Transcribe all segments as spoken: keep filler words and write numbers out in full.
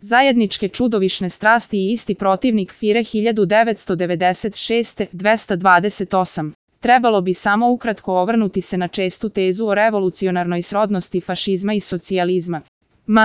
Zajedničke čudovišne strasti i isti protivnik Fire hiljadu devetsto devedeset šeste dvesta dvadeset osam. Trebalo bi samo ukratko ovrnuti se na čestu tezu o revolucionarnoj srodnosti fašizma i socijalizma. M.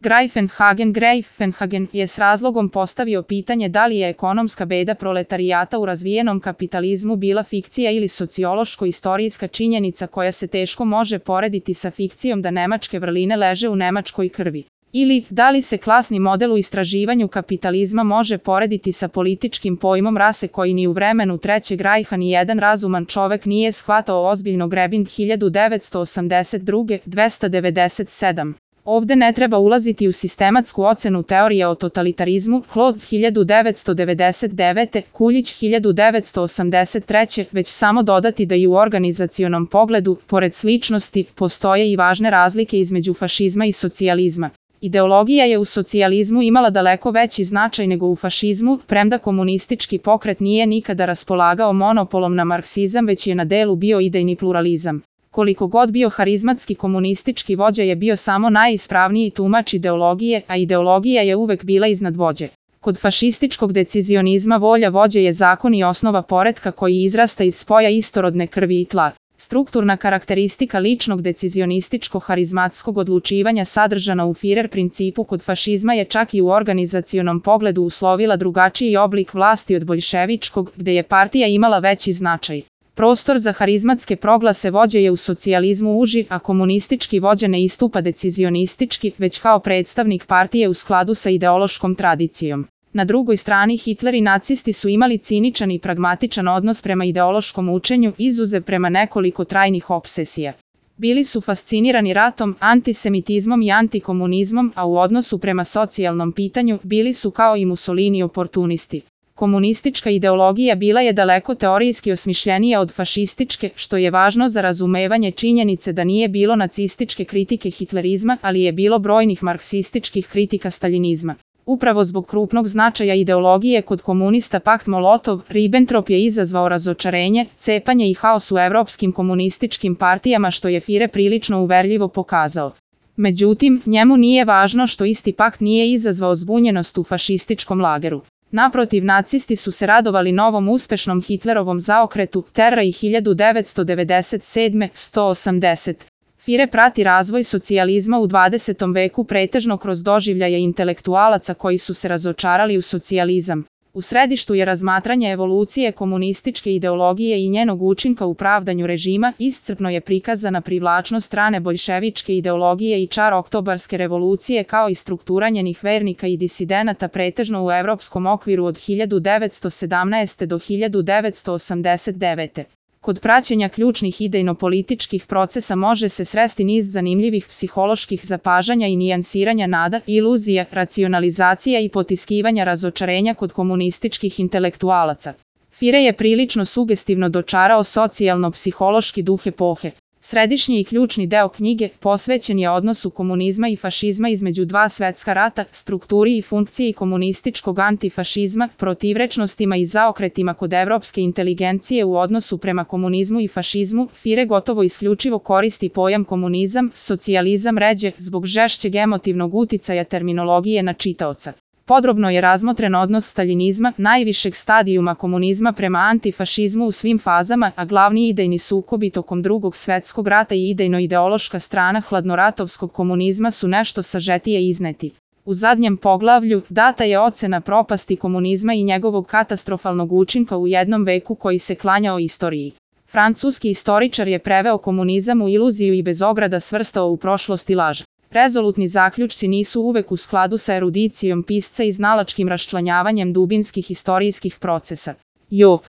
Greifenhagen Greifenhagen je s razlogom postavio pitanje da li je ekonomska beda proletarijata u razvijenom kapitalizmu bila fikcija ili sociološko-istorijska činjenica koja se teško može porediti sa fikcijom da nemačke vrline leže u nemačkoj krvi. Ili, da li se klasni model u istraživanju kapitalizma može porediti sa političkim pojmom rase koji ni u vremenu Trećeg rajha ni jedan razuman čovek nije shvatao ozbiljno Grebin hiljadu devetsto osamdeset druge dvesta devedeset sedam. Ovde ne treba ulaziti u sistematsku ocenu teorije o totalitarizmu, Klotz hiljadu devetsto devedeset devete, Kuljić hiljadu devetsto osamdeset treće, već samo dodati da i u organizacionom pogledu, pored sličnosti, postoje i važne razlike između fašizma i socijalizma. Ideologija je u socijalizmu imala daleko veći značaj nego u fašizmu, premda komunistički pokret nije nikada raspolagao monopolom na marksizam, već je na delu bio idejni pluralizam. Koliko god bio harizmatski komunistički vođa je bio samo najispravniji tumač ideologije, a ideologija je uvek bila iznad vođe. Kod fašističkog decizionizma volja vođe je zakon i osnova poretka koji izrasta iz spoja istorodne krvi i tla. Strukturna karakteristika ličnog decizionističko-harizmatskog odlučivanja sadržana u Führer principu kod fašizma je čak i u organizacionom pogledu uslovila drugačiji oblik vlasti od boljševičkog, gde je partija imala veći značaj. Prostor za harizmatske proglase vođe je u socijalizmu uži, a komunistički vođa ne istupa decizionistički, već kao predstavnik partije u skladu sa ideološkom tradicijom. Na drugoj strani Hitler i nacisti su imali ciničan i pragmatičan odnos prema ideološkom učenju, izuzev prema nekoliko trajnih opsesija. Bili su fascinirani ratom, antisemitizmom i antikomunizmom, a u odnosu prema socijalnom pitanju bili su kao i Mussolini oportunisti. Komunistička ideologija bila je daleko teorijski osmišljenija od fašističke, što je važno za razumevanje činjenice da nije bilo nacističke kritike hitlerizma, ali je bilo brojnih marksističkih kritika staljinizma. Upravo zbog krupnog značaja ideologije kod komunista pakt Molotov-Ribbentrop je izazvao razočarenje, cepanje i haos u evropskim komunističkim partijama što je Führer prilično uverljivo pokazao. Međutim, njemu nije važno što isti pakt nije izazvao zbunjenost u fašističkom lageru. Naprotiv, nacisti su se radovali novom uspešnom Hitlerovom zaokretu, Terra i hiljadu devetsto devedeset sedme sto osamdeset. Führer prati razvoj socijalizma u dvadesetom veku pretežno kroz doživljaje intelektualaca koji su se razočarali u socijalizam. U središtu je razmatranje evolucije komunističke ideologije i njenog učinka u pravdanju režima, iscrpno je prikazana privlačnost strane boljševičke ideologije i čar oktobarske revolucije kao i struktura njenih vernika i disidenata pretežno u evropskom okviru od hiljadu devetsto sedamnaeste. do hiljadu devetsto osamdeset devete. Kod praćenja ključnih idejno-političkih procesa može se sresti niz zanimljivih psiholoških zapažanja i nijansiranja nada, iluzija, racionalizacija i potiskivanja razočarenja kod komunističkih intelektualaca. Führer je prilično sugestivno dočarao socijalno-psihološki duh epohe. Središnji i ključni deo knjige posvećen je odnosu komunizma i fašizma između dva svetska rata, strukturi i funkciji komunističkog antifašizma, protivrečnostima i zaokretima kod evropske inteligencije u odnosu prema komunizmu i fašizmu. Führer gotovo isključivo koristi pojam komunizam, socijalizam ređe zbog žešćeg emotivnog uticaja terminologije na čitaoca. Podrobno je razmotren odnos staljinizma, najvišeg stadijuma komunizma prema antifašizmu u svim fazama, a glavni idejni sukobi tokom Drugog svetskog rata i idejno-ideološka strana hladnoratovskog komunizma su nešto sažetije izneti. U zadnjem poglavlju data je ocena propasti komunizma i njegovog katastrofalnog učinka u jednom veku koji se klanjao istoriji. Francuski istoričar je preveo komunizam u iluziju i bez ograda svrstao u prošlost i laž. Rezolutni zaključci nisu uvek u skladu sa erudicijom pisca i znalačkim raščlanjavanjem dubinskih istorijskih procesa. Jo.